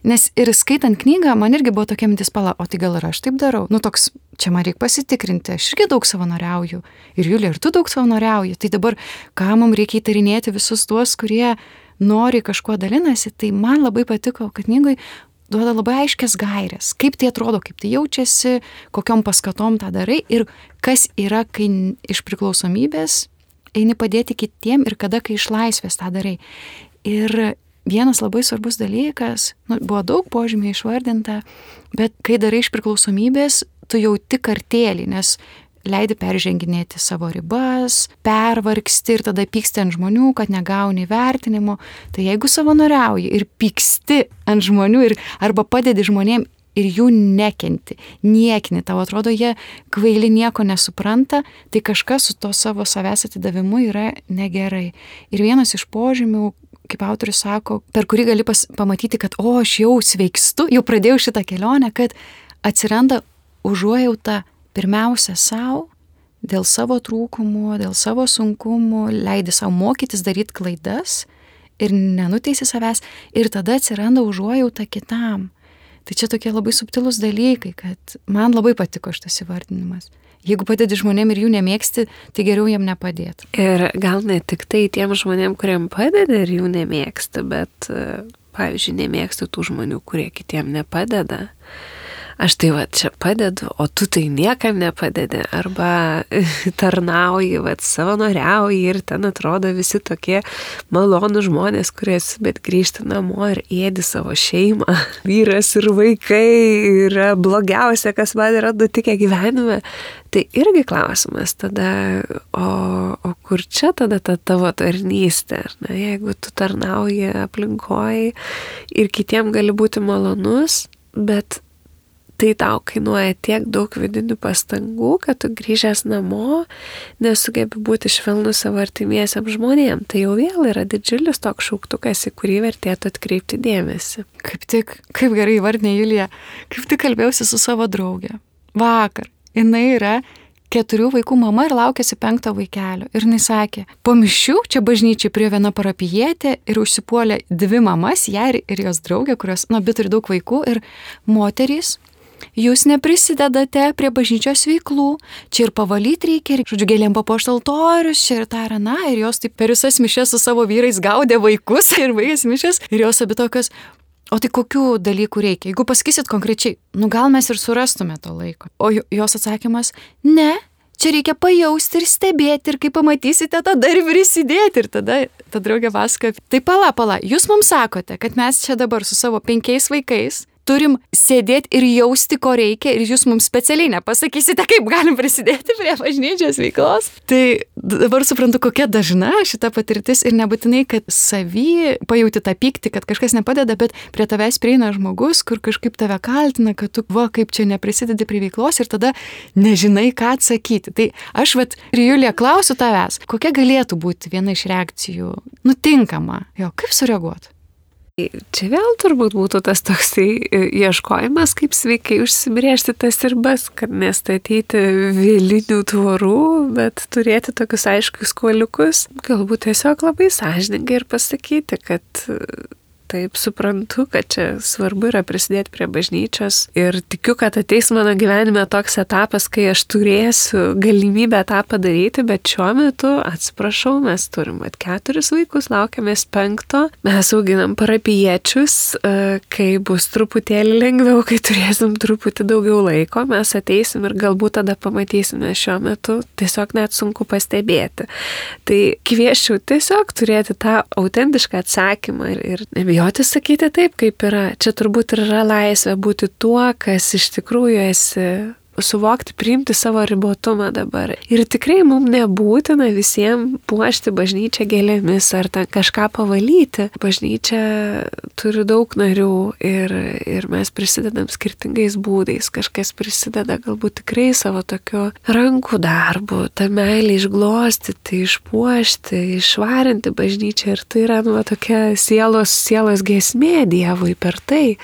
Nes ir skaitant knygą, man irgi buvo tokia mintis, o tai gal ir aš taip darau? Toks, čia man reikia pasitikrinti, aš irgi daug savanoriauju. Ir Julija, ir tu daug savanoriauji. Tai dabar, ką mums reikia įtarinėti visus tuos, kurie nori kažkuo dalinasi, tai man labai patiko, kad knygoj duoda labai aiškias gairės, kaip tai atrodo, kaip tai jaučiasi, kokiom paskatom tą darai ir kas yra, kai iš priklausomybės eini padėti kitiem ir kada, kai iš laisvės tą darai. Ir vienas labai svarbus dalykas, buvo daug požymių išvardinta, bet kai darai iš priklausomybės, tu jauti kartėlį, nes leidi perženginėti savo ribas, pervargsti ir tada pyksti ant žmonių, kad negauni vertinimo. Tai jeigu savanoriauji ir pyksti ant žmonių arba padedi žmonėm ir jų nekenti, niekini, tau atrodo, jie kvaili nieko nesupranta, tai kažkas su to savo savęs atidavimu yra negerai. Ir vienas iš požymių, kaip autorius sako, per kurį gali pamatyti, kad aš jau sveikstu, jau pradėjau šitą kelionę, kad atsiranda užuojauta pirmiausia savo, dėl savo trūkumų, dėl savo sunkumų, leidi savo mokytis daryti klaidas ir nenuteisi savęs, ir tada atsiranda užuojauta kitam. Tai čia tokie labai subtilūs dalykai, kad man labai patiko šitas įvardinimas. Jeigu padedi žmonėm ir jų nemėgsti, tai geriau jiem nepadėti. Ir gal ne tik tai tiem žmonėm, kuriem padeda ir jų nemėgsti, bet, pavyzdžiui, nemėgsti tų žmonių, kurie kitiem nepadeda. Aš tai čia padedu, o tu tai niekam nepadedi, arba tarnauji, savanoriauji ir ten atrodo visi tokie malonų žmonės, bet grįžti namo ir ėdi savo šeimą. Vyras ir vaikai yra blogiausia, kas man yra nutikę gyvenime. Tai irgi klausimas tada, o kur čia tada ta tavo tarnystė? Jeigu tu tarnauji aplinkoje ir kitiem gali būti malonus, bet tai tau kainuoja tiek daug vidinių pastangų, kad tu grįžęs namo nesugebi būti švelnus savo artimiesiam žmonėm. Tai jau vėl yra didžiulis toks šauktukas, į kurį vertėtų atkreipti dėmesį. Kaip gerai įvardinė Julija, kaip tik kalbėjausi su savo draugė. Vakar. Jinai yra 4 vaikų mama ir laukiasi 5 vaikelio. Ir jinai sakė, po mišių čia bažnyčiai prie viena parapijietė ir užsipuolė 2 mamas, ją ir jos draugė, kurios, abi turi daug vaikų ir moterys. Jūs neprisidedate prie bažnyčios veiklų, čia ir pavalyti reikia, ir, gėlėm papuošti altorius, čia ir tą ir aną, ir jos taip per visas mišias su savo vyrais gaudė vaikus ir baigės mišias, ir jos abi tokios, o tai kokių dalykų reikia? Jeigu pasakysit konkrečiai, gal mes ir surastume to laiko. O jos atsakymas, ne, čia reikia pajausti ir stebėti, ir kai pamatysite, tada ir prisidėti. Ir tada ta draugė pasakoja, tai pala, jūs mums sakote, kad mes čia dabar su savo 5 vaikais turim sėdėti ir jausti, ko reikia, ir jūs mums specialiai nepasakysite, kaip galim prisidėti prie bažnyčios veiklos. Tai dabar suprantu, kokia dažna šita patirtis ir nebūtinai, kad savy pajauti tą pyktį, kad kažkas nepadeda, bet prie tavęs prieina žmogus, kur kažkaip tave kaltina, kad tu, kaip čia neprisidedi prie veiklos ir tada nežinai, ką atsakyti. Tai aš, Julija, klausiu tavęs, kokia galėtų būti viena iš reakcijų tinkama, kaip sureaguoti? Čia vėl turbūt būtų tas toksai ieškojimas, kaip sveikai užsibrėžti tas ribas, kad nestatyti vėlinių tvorų, bet turėti tokius aiškius kuoliukus. Galbūt tiesiog labai sąžiningai ir pasakyti, kad taip suprantu, kad čia svarbu yra prisidėti prie bažnyčios ir tikiu, kad ateis mano gyvenime toks etapas, kai aš turėsiu galimybę tą padaryti, bet šiuo metu, atsiprašau, mes turim 4 vaikus, laukiamės 5, mes auginam parapijiečius, kai bus truputėlį lengviau, kai turėsim truputį daugiau laiko, mes ateisim ir galbūt tada pamatysime, šiuo metu tiesiog net sunku pastebėti. Tai kviesčiau tiesiog turėti tą autentišką atsakymą ir nebijoti sakyti taip, kaip yra. Čia turbūt yra laisvė būti tuo, kas iš tikrųjų esi, suvokti, priimti savo ribotumą dabar. Ir tikrai mums nebūtina visiems puošti bažnyčią gėlėmis ar ten kažką pavalyti. Bažnyčia turi daug narių ir mes prisidedam skirtingais būdais. Kažkas prisideda galbūt tikrai savo tokiu rankų darbu, tą meilę išglostyti, išpuošti, išvarinti bažnyčią. Ir tai yra tokia sielos giesmė Dievui per tai.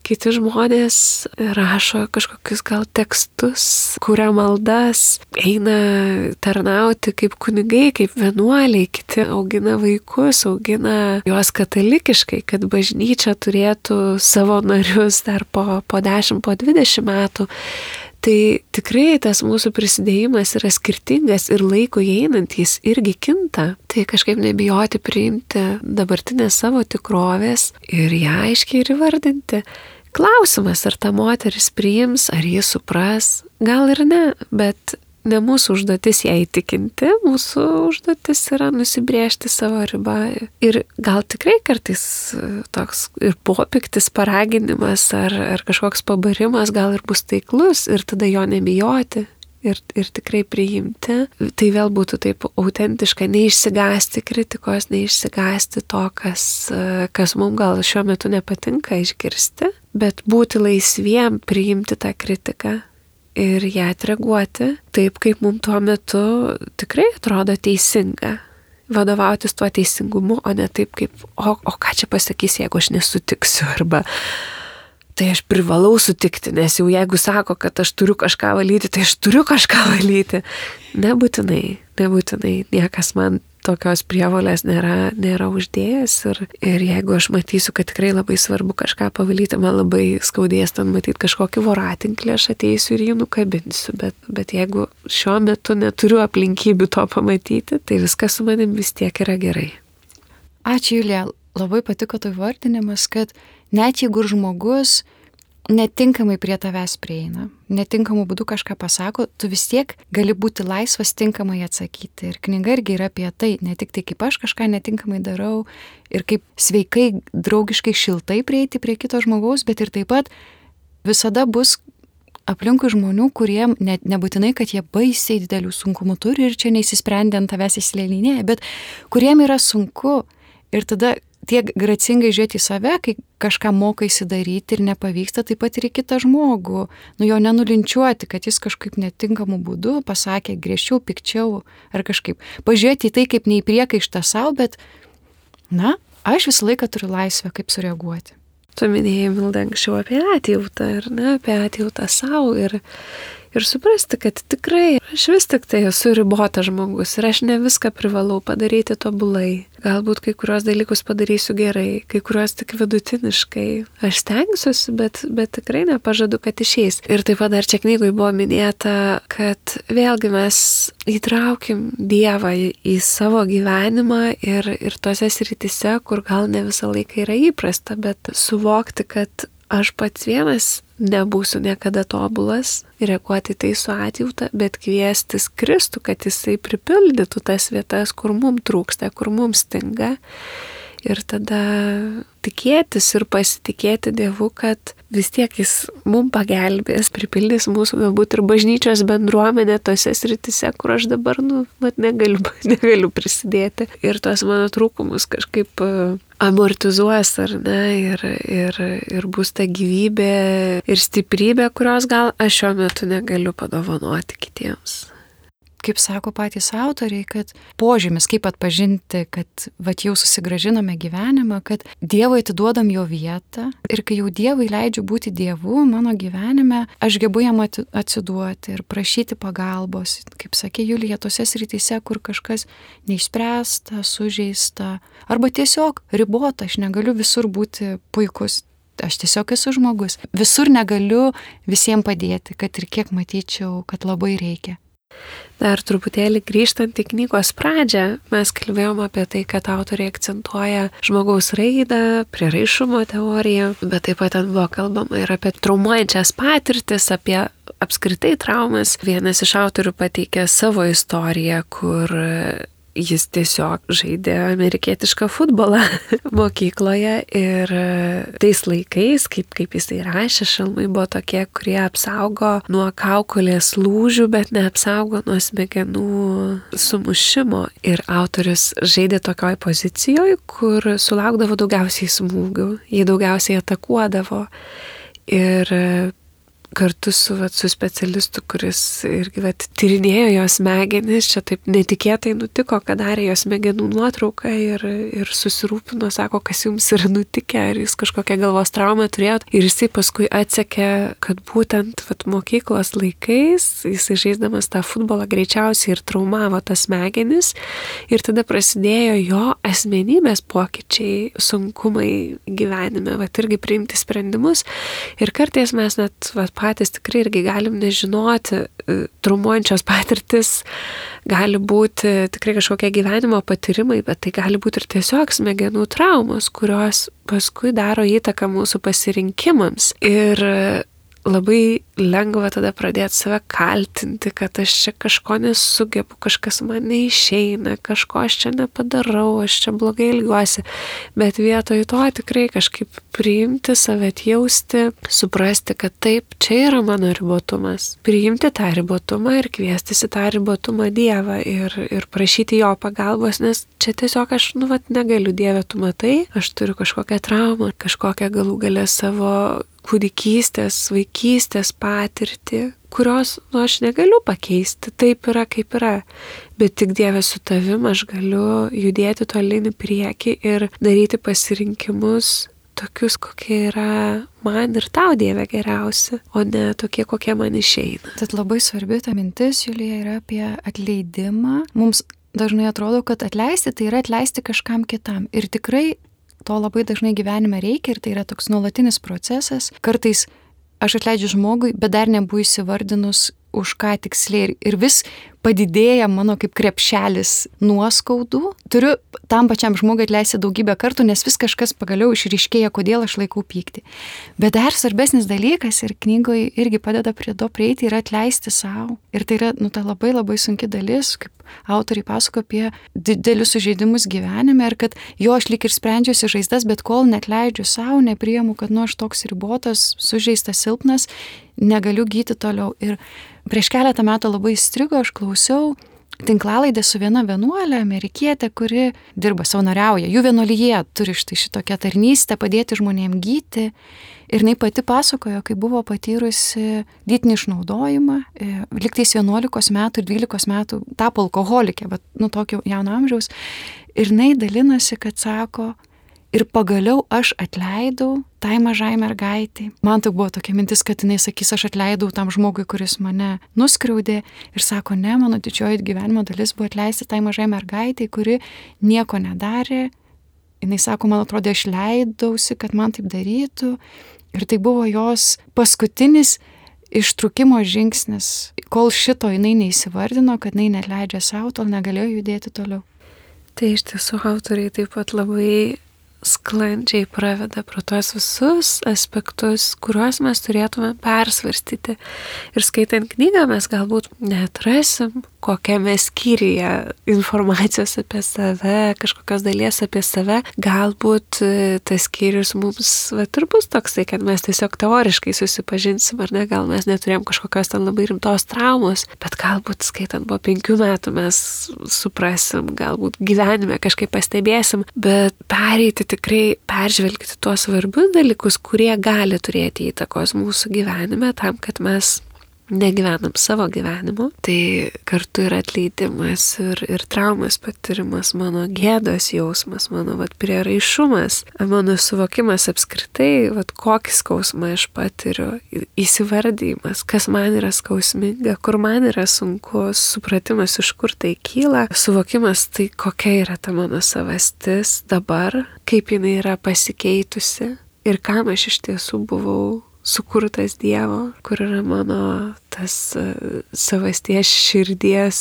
Kiti žmonės rašo kažkokius gal tekstus, kuria maldas, eina tarnauti kaip kunigai, kaip vienuoliai, kiti augina vaikus, augina juos katalikiškai, kad bažnyčia turėtų savo narius dar po 10, po 20 metų. Tai tikrai tas mūsų prisidėjimas yra skirtingas ir laiko einant jis irgi kinta. Tai kažkaip nebijoti priimti dabartinės savo tikrovės ir ją aiškiai ir įvardinti. Klausimas, ar ta moteris priims, ar jis supras, gal ir ne, bet ne mūsų užduotis ją įtikinti, mūsų užduotis yra nusibrėžti savo ribą. Ir gal tikrai kartais toks ir popiktis paraginimas ar kažkoks pabarimas gal ir bus taiklus ir tada jo nebijoti ir tikrai priimti. Tai vėl būtų taip autentiška, neišsigąsti kritikos, neišsigąsti to, kas mums gal šiuo metu nepatinka išgirsti, bet būti laisviem priimti tą kritiką ir ją atreaguoti taip, kaip mums tuo metu tikrai atrodo teisinga. Vadovautis tuo teisingumu, o ne taip kaip, o ką čia pasakys, jeigu aš nesutiksiu, arba tai aš privalau sutikti, nes jau jeigu sako, kad aš turiu kažką valyti, tai aš turiu kažką valyti. Nebūtinai, niekas man tokios prievolės nėra uždėjęs ir jeigu aš matysiu, kad tikrai labai svarbu kažką pavalyti, man labai skaudės ten matyti kažkokį voratinklį, aš ateisiu ir jį nukabinsiu, bet jeigu šiuo metu neturiu aplinkybių to pamatyti, tai viskas su manim vis tiek yra gerai. Ačiū, Julija, labai patiko tai vardinimas, kad net jeigu žmogus netinkamai prie tavęs prieina, netinkamų būdų kažką pasako, tu vis tiek gali būti laisvas tinkamai atsakyti. Ir knyga irgi yra apie tai, ne tik tai, kaip aš kažką netinkamai darau ir kaip sveikai, draugiškai, šiltai prieiti prie kito žmogaus, bet ir taip pat visada bus aplinkui žmonių, kurie nebūtinai, kad jie baisiai didelių sunkumų turi ir čia neįsisprendė ant tavęs įsilelinėje, bet kuriem yra sunku ir tada tiek gracingai žiūrėti į save, kai kažką mokaisi daryti ir nepavyksta, taip pat ir į kitą žmogų. Jo nenulinčiuoti, kad jis kažkaip netinkamų būdų pasakė griežčiau, pikčiau ar kažkaip. Pažiūrėti į tai kaip ne į priekaištą savo, bet, aš visą laiką turiu laisvę, kaip sureaguoti. Tu minėjai, Milda, anksčiau apie atjautą, apie atjautą savo ir suprasti, kad tikrai aš vis tik tai esu ribotas žmogus ir aš ne viską privalau padaryti tobulai. Galbūt kai kurios dalykus padarysiu gerai, kai kurios tik vidutiniškai. Aš stengsiuosi, bet tikrai nepažadu, kad išeis. Ir taip pat dar čia knygoje buvo minėta, kad vėlgi mes įtraukim Dievą į savo gyvenimą ir tose srityse, kur gal ne visą laiką yra įprasta, bet suvokti, kad aš pats vienas nebūsiu niekada tobulas, reaguoti tai su atjauta, bet kviestis Kristų, kad jisai pripildytų tas vietas, kur mums trūksta, kur mums stinga Ir tada tikėtis ir pasitikėti Dievu, kad vis tiek jis mums pagelbės, pripildys mūsų galbūt ir bažnyčios bendruomenę tose sritise, kur aš dabar, negaliu prisidėti. Ir tuos mano trūkumus kažkaip amortizuos, ar ne, ir bus ta gyvybė ir stiprybė, kurios gal aš šiuo metu negaliu padovanoti kitiems. Kaip sako patys autoriai, kad požymis, kaip atpažinti, kad jau susigrąžiname gyvenimą, kad Dievui atiduodam jo vietą ir kai jau Dievui leidžiu būti Dievu mano gyvenime, aš gebu jam atsiduoti ir prašyti pagalbos, kaip sakė Julija, tose srityse, kur kažkas neišspręsta, sužeista, arba tiesiog ribota, aš negaliu visur būti puikus. Aš tiesiog esu žmogus. Visur negaliu visiems padėti, kad ir kiek matyčiau, kad labai reikia. Dar truputėlį grįžtant į knygos pradžią, mes kalbėjom apie tai, kad autoriai akcentuoja žmogaus raidą, prieraišumo teoriją, bet taip pat ten buvo kalbama ir apie traumuojančias patirtis, apie apskritai traumas. Vienas iš autorių pateikė savo istoriją, kur jis tiesiog žaidė amerikietišką futbolą mokykloje ir tais laikais, kaip jisai rašė, šalmai buvo tokie, kurie apsaugo nuo kaukolės lūžių, bet neapsaugo nuo smegenų sumušimo. Ir autorius žaidė tokioj pozicijoje, kur sulaukdavo daugiausiai smūgių, jį daugiausiai atakuodavo. Ir kartu su specialistu, kuris irgi tyrinėjo jos smegenis, čia taip netikėtai nutiko, kad darė jos smegenų nuotrauką ir susirūpino, sako, kas jums yra nutikę, ar jūs kažkokią galvos traumą turėjot. Ir jisai paskui atsekė, kad būtent mokyklos laikais jisai žaisdamas tą futbolą greičiausiai ir traumavo tas smegenis. Ir tada prasidėjo jo asmenybės pokyčiai, sunkumai gyvenime, irgi priimti sprendimus. Ir kartais mes net patys tikrai irgi galim nežinoti, traumuojančios patirtis gali būti tikrai kažkokie gyvenimo patyrimai, bet tai gali būti ir tiesiog smegenų traumos, kurios paskui daro įtaką mūsų pasirinkimams. Ir labai lengva tada pradėti save kaltinti, kad aš čia kažko nesugebu, kažkas man neišeina, kažko aš čia nepadarau, aš čia blogai ilgiuosi. Bet vietoj to tikrai kažkaip priimti, save atjausti, suprasti, kad taip, čia yra mano ribotumas. Priimti tą ribotumą ir kviestis į tą ribotumą Dievą ir prašyti jo pagalbos, nes čia tiesiog aš, negaliu, Dieve, tu matai, aš turiu kažkokią traumą, kažkokią galų galę savo kūdikystės, vaikystės patirtį, kurios, aš negaliu pakeisti, taip yra, kaip yra. Bet tik Dieve su tavim aš galiu judėti tolyn į priekį ir daryti pasirinkimus tokius, kokie yra man ir tau, Dieve, geriausi, o ne tokie, kokie man išeina. Tad labai svarbi ta mintis, Julija, yra apie atleidimą. Mums dažnai atrodo, kad atleisti tai yra atleisti kažkam kitam. Ir tikrai to labai dažnai gyvenime reikia ir tai yra toks nuolatinis procesas. Kartais aš atleidžiu žmogui, bet dar nebuvo įsivardinus už ką tiksliai ir vis padidėja mano kaip krepšelis nuoskaudų. Turiu tam pačiam žmogui atleisti daugybę kartų, nes vis kažkas pagaliau išryškėja, kodėl aš laikau pyktį. Bet dar svarbesnis dalykas ir knygoje irgi padeda prie to prieiti yra atleisti savo. Ir tai yra ta labai labai sunki dalis, kaip autoriai pasako apie didelius sužeidimus gyvenime ir kad aš lyg ir sprendžiuosi žaizdas, bet kol neatleidžiu savo, nepriimu, kad aš toks ribotas, sužeistas, silpnas, negaliu gyti toliau. Ir prieš keletą metų labai įstrigo, aš klausiau tinklalaidę su viena vienuolė, amerikietė, kuri dirba, savanoriauja. Jų vienuolyje turi šitokią tarnystę padėti žmonėms gyti. Ir jinai pati pasakojo, kai buvo patyrusi lytinį išnaudojimą, liktais 11 metų ir 12 metų tapo alkoholikė, bet tokio jauno amžiaus. Ir jinai dalinasi, kad sako, ir pagaliau aš atleidau tai mažai mergaitai. Man tai buvo tokia mintis, kad jinai sakys, aš atleidau tam žmogui, kuris mane nuskriaudė. Ir sako, ne, mano didžioji gyvenimo dalis buvo atleisti tai mažai mergaitai, kuri nieko nedarė. Jinai sako, man atrodė, aš leidausi, kad man taip darytų. Ir tai buvo jos paskutinis ištrūkimo žingsnis. Kol šito jinai neįsivardino, kad jinai neatleidžia savo, tol negalėjo judėti toliau. Tai iš tiesų autoriai taip pat labai sklandžiai praveda pro tuos visus aspektus, kuriuos mes turėtume persvarstyti. Ir skaitant knygą mes galbūt neatrasim kokiame skyriuje informacijos apie save, kažkokios dalies apie save. Galbūt tas skyrius mums ir bus toksai, kad mes tiesiog teoriškai susipažinsim, ar ne, gal mes neturėjom kažkokios ten labai rimtos traumos, bet galbūt skaitant po 5 metų mes suprasim, galbūt gyvenime kažkaip pastebėsim, bet pereiti tikrai, peržvelgti tuos svarbius dalykus, kurie gali turėti įtakos mūsų gyvenime, tam, kad mes negyvenam savo gyvenimu. Tai kartu yra atleidimas ir traumas patirimas, mano gėdos jausmas, mano prieraišumas, mano suvokimas apskritai, kokį skausmą aš patiriu, įsivardymas, kas man yra skausminga, kur man yra sunku, supratimas, iš kur tai kyla, suvokimas, tai kokia yra ta mano savastis dabar, kaip jinai yra pasikeitusi ir kam aš iš tiesų buvau sukurtas Dievo, kur yra mano tas savasties širdies,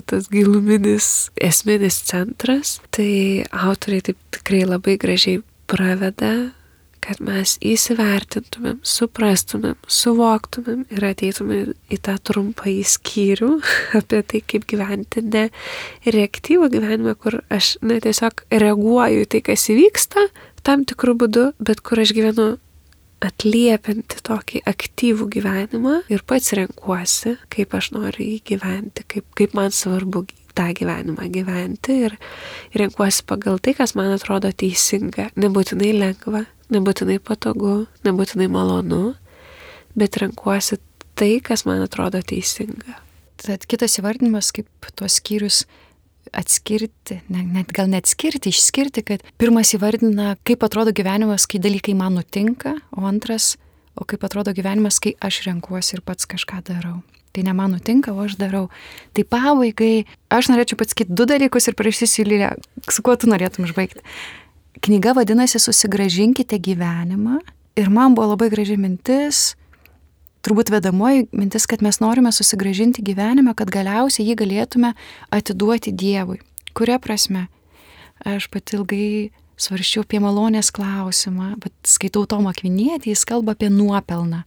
tas giluminis, esminis centras. Tai autoriai taip tikrai labai gražiai praveda, kad mes įsivertintumėm, suprastumėm, suvoktumėm ir ateitumėm į tą trumpą skyrių apie tai, kaip gyventi ne reaktyvų gyvenimą, kur aš tiesiog reaguoju į tai, kas įvyksta tam tikrų būdų, bet kur aš gyvenu atliepianti tokį aktyvų gyvenimą ir pats renkuosi, kaip aš noriu jį gyventi, kaip man svarbu tą gyvenimą gyventi ir renkuosi pagal tai, kas man atrodo teisinga. Nebūtinai lengva, nebūtinai patogu, nebūtinai malonu, bet renkuosi tai, kas man atrodo teisinga. Tad kitas įvardinimas, kaip tuos skyrius atskirti, gal neatskirti, išskirti, kad pirmas įvardina, kaip atrodo gyvenimas, kai dalykai man nutinka, o antras, o kaip atrodo gyvenimas, kai aš renkuosi ir pats kažką darau. Tai ne man nutinka, o aš darau. Tai pabaigai, aš norėčiau pasakyti 2 dalykus ir prašysiu Lilija, su kuo tu norėtum išbaigti. Knyga vadinasi Susigrąžinkite gyvenimą ir man buvo labai graži mintis, turbūt vedamoji mintis, kad mes norime susigrąžinti gyvenimą, kad galiausiai jį galėtume atiduoti Dievui. Kuria prasme? Aš pati ilgai svarsčiau apie malonės klausimą, bet skaitau Tomą Akvinietį, jis kalba apie nuopelną.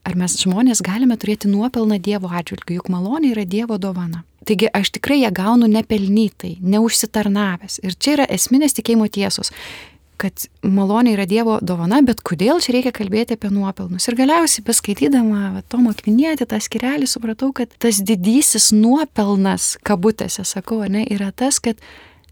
Ar mes žmonės galime turėti nuopelną Dievo atžvilgiu, juk malonė yra Dievo dovana. Taigi aš tikrai ją gaunu nepelnytai, neužsitarnavęs. Ir čia yra esminės tikėjimo tiesos, kad malonė yra Dievo dovana, bet kodėl čia reikia kalbėti apie nuopelnus. Ir galiausiai, beskaitydama Tomą Akvinietį, tą skyrelį, supratau, kad tas didysis nuopelnas, kabutėse sakau, yra tas, kad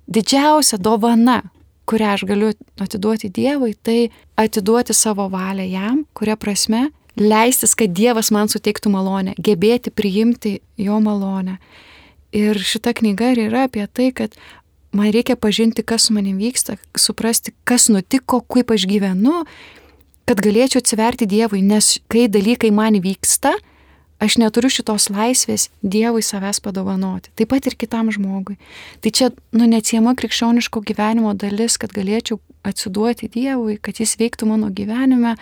didžiausia dovana, kurią aš galiu atiduoti Dievui, tai atiduoti savo valią jam, kuria prasme leistis, kad Dievas man suteiktų malonę, gebėti priimti jo malonę. Ir šita knyga yra apie tai, kad man reikia pažinti, kas su manim vyksta, suprasti, kas nutiko, kaip aš gyvenu, kad galėčiau atsiverti Dievui, nes kai dalykai man vyksta, aš neturiu šitos laisvės Dievui savęs padovanoti. Taip pat ir kitam žmogui. Tai čia neatsiejama krikščioniško gyvenimo dalis, kad galėčiau atsiduoti Dievui, kad jis veiktų mano gyvenime.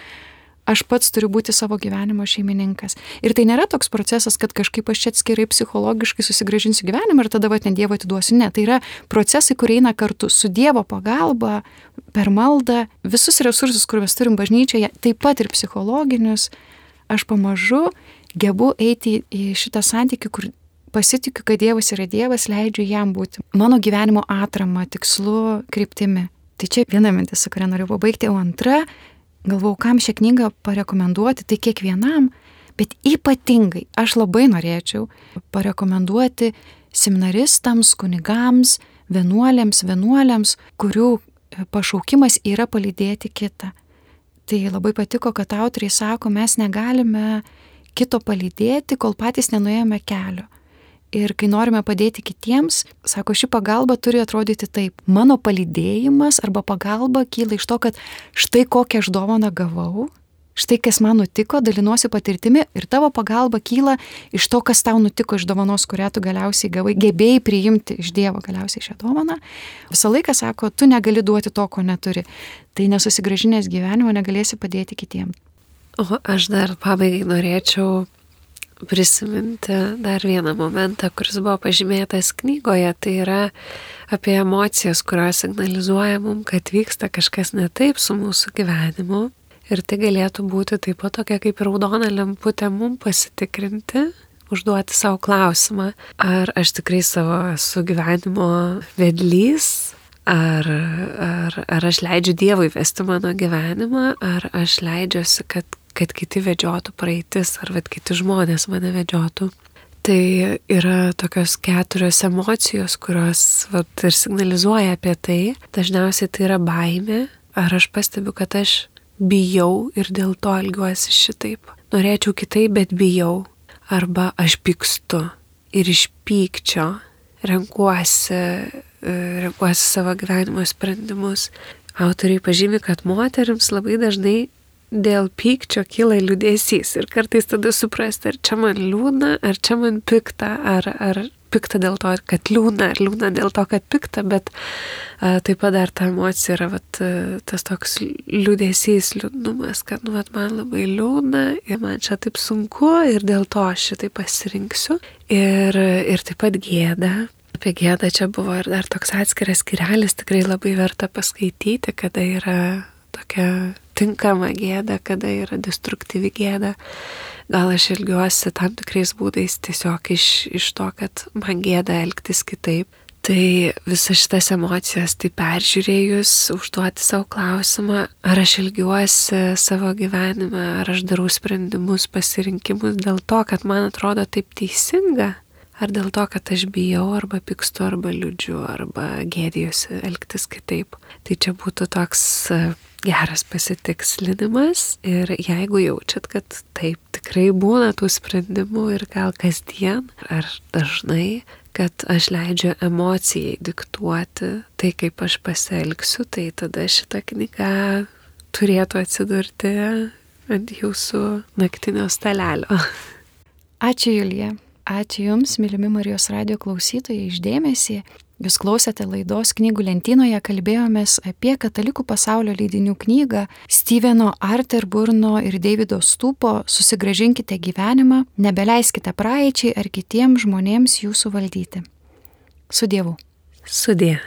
Aš pats turiu būti savo gyvenimo šeimininkas. Ir tai nėra toks procesas, kad kažkaip aš čia atskirai psichologiškai susigrąžinsiu gyvenimą ir tada ne Dievo atiduosiu. Ne, tai yra procesai, kurie eina kartu su Dievo pagalba, per maldą, visus resursus, kur mes turim bažnyčioje, taip pat ir psichologinius. Aš pamažu gebu eiti į šitą santykį, kur pasitikiu, kad Dievas yra Dievas, leidžiu jam būti mano gyvenimo atrama, tikslu, kryptimi. Tai čia viena mintis, su kuria noriu pabaigti, o antra, galvau, kam šią knygą parekomenduoti, tai kiekvienam, bet ypatingai aš labai norėčiau parekomenduoti seminaristams, kunigams, vienuoliams, kurių pašaukimas yra palydėti kitą. Tai labai patiko, kad autoriai sako, mes negalime kito palydėti, kol patys nenuėjome kelio. Ir kai norime padėti kitiems, sako, ši pagalba turi atrodyti taip. Mano palydėjimas arba pagalba kyla iš to, kad štai kokią aš dovaną gavau, štai kas man nutiko, dalinuosi patirtimi ir tavo pagalba kyla iš to, kas tau nutiko iš dovanos, kurią tu galiausiai gavai, gebėjai priimti iš Dievo galiausiai šią dovaną. Visą laiką sako, tu negali duoti to, ko neturi. Tai nesusigrąžinęs gyvenimo negalėsi padėti kitiems. O aš dar pabaigai norėčiau prisiminti dar vieną momentą, kuris buvo pažymėtas knygoje, tai yra apie emocijas, kurios signalizuoja mums, kad vyksta kažkas ne taip su mūsų gyvenimu. Ir tai galėtų būti taip pat tokia kaip raudona lemputė mums pasitikrinti, užduoti savo klausimą, ar aš tikrai savo esu gyvenimo vedlys, ar aš leidžiu Dievui vesti mano gyvenimą, ar aš leidžiuosi, kad kiti vedžiotų praeitis, ar kiti žmonės mane vedžiotų. Tai yra tokios 4 emocijos, kurios ir signalizuoja apie tai. Dažniausiai tai yra baimė, ar aš pastebiu, kad aš bijau ir dėl to elgiuosi šitaip. Norėčiau kitaip, bet bijau. Arba aš pykstu ir iš pykčio renkuosi savo gyvenimo sprendimus. Autoriai pažymi, kad moterims labai dažnai dėl pykčio kyla liūdesys ir kartais tada suprasti, ar čia man liūdna, ar čia man pikta, ar pikta dėl to, kad liūdna, ar liūdna dėl to, kad pikta, bet taip pat dar ta emocija yra tas toks liūdesys, liūdnumas, kad man labai liūdna ir man čia taip sunku ir dėl to aš šitai pasirinksiu. Ir taip pat gėda. Apie gėdą čia buvo ir dar toks atskiras skyrelis, tikrai labai verta paskaityti, kada yra tokia tinkama gėda, kada yra destruktyvi gėda. Gal aš elgiuosi tam tikrais būdais tiesiog iš to, kad man gėda elgtis kitaip. Tai visas šitas emocijas tai peržiūrėjus, užduoti savo klausimą, ar aš elgiuosi savo gyvenime, ar aš darau sprendimus, pasirinkimus dėl to, kad man atrodo taip teisinga, ar dėl to, kad aš bijau, arba pykstu, arba liūdžiu, arba gėdijuosi elgtis kitaip. Tai čia būtų toks geras pasitikslinimas ir jeigu jaučiat, kad taip tikrai būna tų sprendimų ir gal kasdien ar dažnai, kad aš leidžiu emocijai diktuoti tai, kaip aš pasielgsiu, tai tada šita knyga turėtų atsidurti ant jūsų naktinio stalelio. Ačiū, Julija. Ačiū Jums, mylimi Marijos radijo klausytojai, iš dėmesį. Jūs klausėte laidos Knygų lentynoje, kalbėjomės apie katalikų pasaulio leidinių knygą Steveno Arterburno ir Davido Stupo Susigrąžinkite gyvenimą, nebeleiskite praeičiai ar kitiems žmonėms jūsų valdyti. Su Dievu. Sudie.